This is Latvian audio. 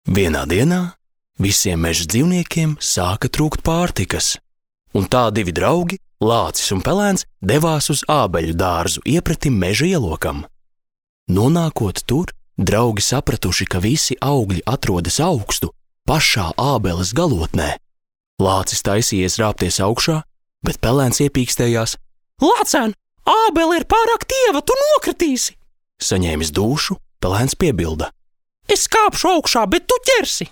Vienā dienā visiem meža dzīvniekiem sāka trūkt pārtikas, un tā divi draugi, Lācis un Pelēns, devās uz ābeļu dārzu iepretim meža ielokam. Nonākot tur, draugi sapratuši, ka visi augļi atrodas augstu, pašā ābeles galotnē. Lācis taisījies rāpties augšā, bet Pelēns iepīkstējās: Lācēn, ābele ir pārāk tieva, tu nokritīsi! Saņēmis dūšu, Pelēns piebilda: Es kāpšu augšā, bet tu ķersi!